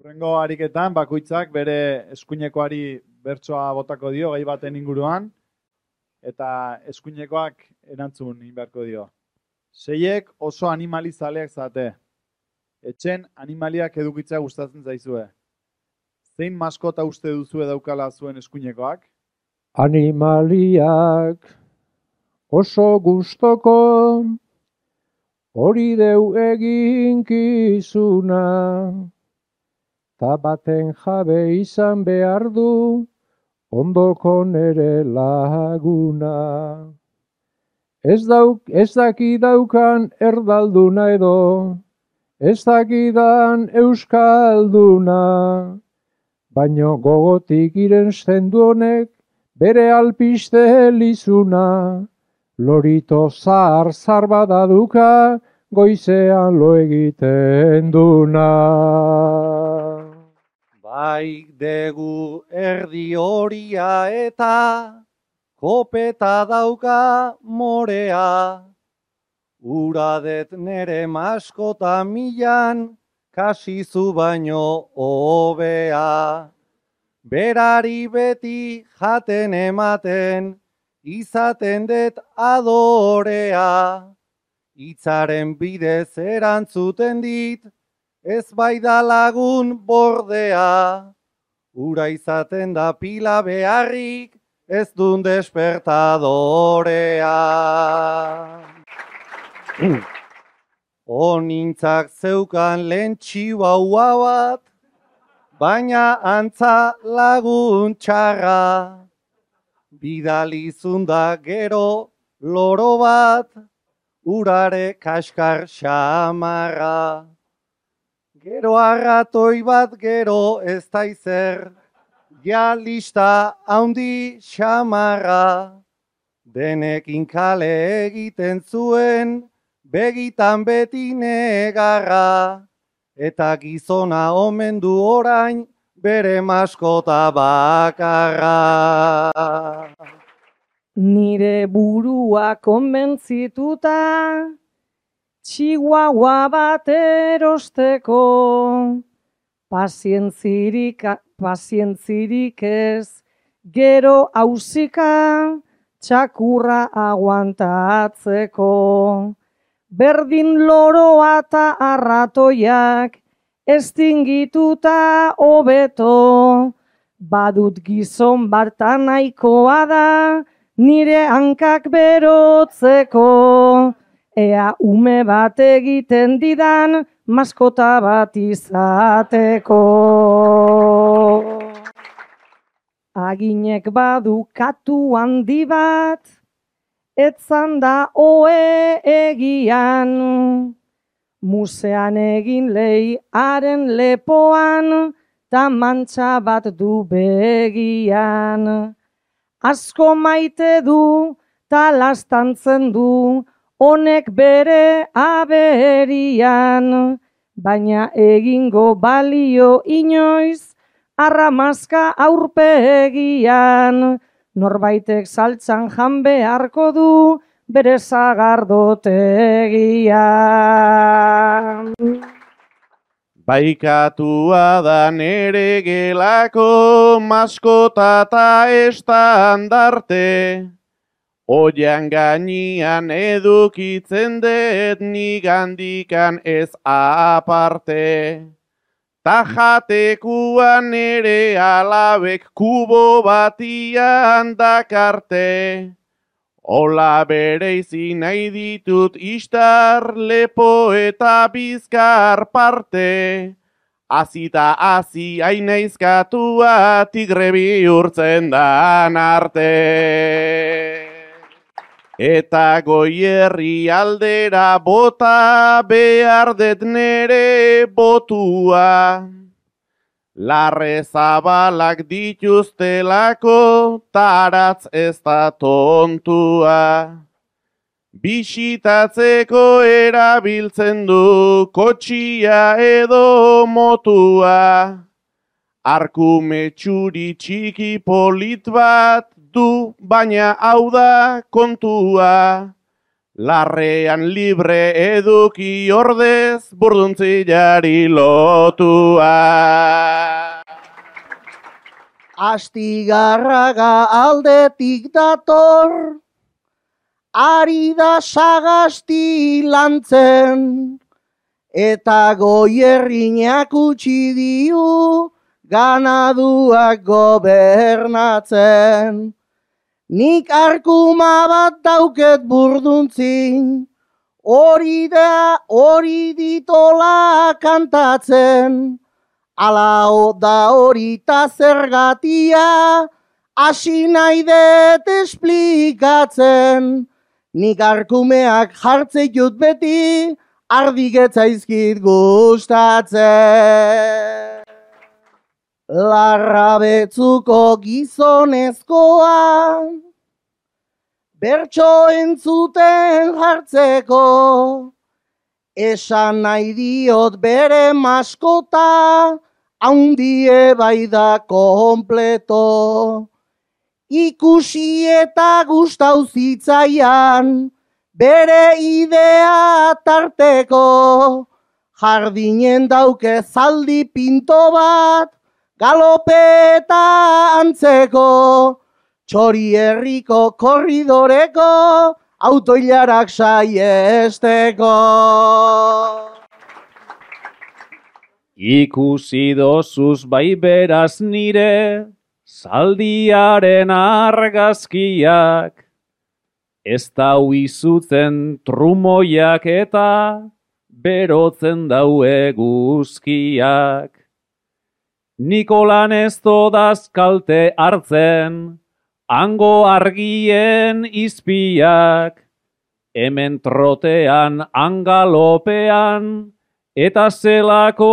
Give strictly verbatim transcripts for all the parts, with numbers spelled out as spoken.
Hurrengo ariketan bakoitzak bere eskuinekoari bertsoa botako dio gai baten inguruan eta eskuinekoak erantzun egin beharko dio. Seiek oso animalizaleak zate. Etxen animaliak edukitzea gustatzen zaizue. Zein maskota uste duzue daukala zuen eskuinekoak? Animaliak oso gustoko hori deu eginkizuna. Ta baten jabe izan behar du, ondoko nere laguna. Ez, dauk, ez daki daukan erdalduna edo, ez dakidan euskalduna. Baino gogotik irensten du honek, bere alpiste lizuna. Lorito zar zar badaduka, goizean lo egiten duna. Bai degu erdi horia eta kopeta dauka morea. Uradet nere maskota milan, kasizu baino hobea. Berari beti jaten ematen, izaten det adorea. Hitzaren bidez erantzuten dit, ez bai da lagun bordea. Ura izaten da pila beharrik, ez dun despertadorea. Onintzak zeukan lehen txihuahua bat, baina antza lagun txarra. Bidalizun da gero loro bat, urare kaskar xamarra. Gero arratoi bat gero ez daizer, ja lista haundi xamarra. Denekin kale egiten zuen, begitan beti negarra. Eta gizona omen du orain, bere maskota bakarra. Nire burua konbentzituta, txihuahua bat erosteko, pazientzirik, pazientzirik ez, gero hausika, txakurra aguantatzeko. Berdin loroa eta arratoiak, estingituta hobeto, badut gizon bartan nahikoa da, nire hankak berotzeko. Ea ume bat egiten didan, maskota bat izateko. Aginek badu katu handi bat, etzan da oe egian. Musean egin lehi haren lepoan, ta mantxa bat du begian. Asko maite du, ta lastantzen du, honek bere aberian, baina egingo balio inoiz, arramazka aurpegian, norbaitek saltzan jan beharko du, bere zagardotegian. Baikatua da nere gelako maskota ta estandarte, oian gainian edukitzen dut nigandikan ez aparte. Ta jatekuan nere alabek kubo batian dakarte. Ola bereizi nahi ditut istar, lepo eta bizkar parte. Azita hazi ainaizkatua tigre bihurtzen dan arte. Eta goierri aldera bota behar det nere botua. Larre zabalak dituztelako, taratz ez da tontua. Bisitatzeko erabiltzen du, kotxia edo motua. Arkume txuri txiki polit bat du, baina hau da kontua. Larrean libre eduki ordez, burduntziari lotua. Astigarraga aldetik dator, ari da sagasti lantzen, eta Goierrinak utzi dio ganaduak gobernatzen. Nik arkuma bat dauket burduntzin, hori da hori ditola kantatzen, ala da hori ta zergatia, hasi nahi dut esplikatzen. Nik arkumeak jartze jut beti, ardigetzaizkit gustatzen. Larrabetzuko gizonezkoa, bertso entzuten jartzeko, esan nahi diot bere maskota, haundie bai da kompleto. Ikusi eta gustau zitzaian, bere idea tarteko, jardinen dauke zaldi pinto bat, galopeta antzeko, txori herriko korridoreko, autoilarak saiesteko. Ikusi dozuz bai beraz nire, zaldiaren argazkiak, ez dau izutzen trumoiak eta berotzen dau eguzkiak. Nikolan ez dodaz kalte hartzen, hango argien izpiak, hemen trotean, angalopean, eta zelako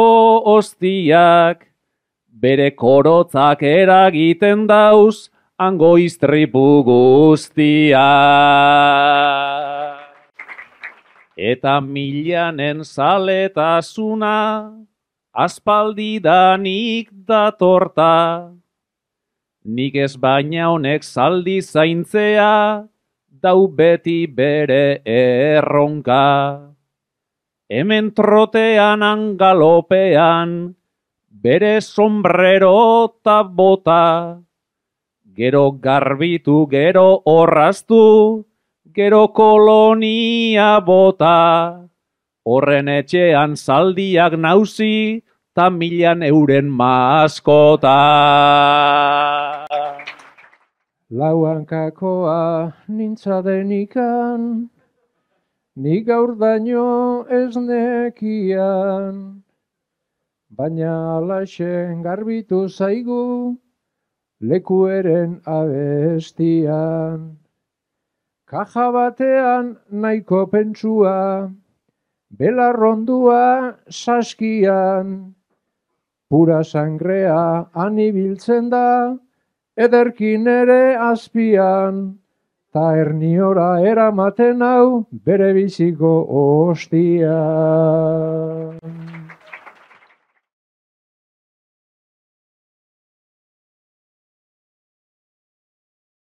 ostiak, bere korotzak eragiten dauz, hango iztripu guztiak. Eta milanen zaletasuna, aspaldidanik datorta, nik ez baina honek zaldi zaintzea, dau beti bere erronka. Hemen trotean angalopean, bere sombrero ta bota, gero garbitu, gero orraztu, gero kolonia bota, horren etxean zaldiak nauzi, ta milan euren maskota. Lauankakoa nintza denikan, nik gaur daño ez nekian, baina alaxen garbitu zaigu, lekueren abestian. Kaja batean nahiko pentsua, belarrondua saskian, pura sangrea anibiltzen da, ederkin ere azpian, ta erniora eramaten hau bere biziko ostia.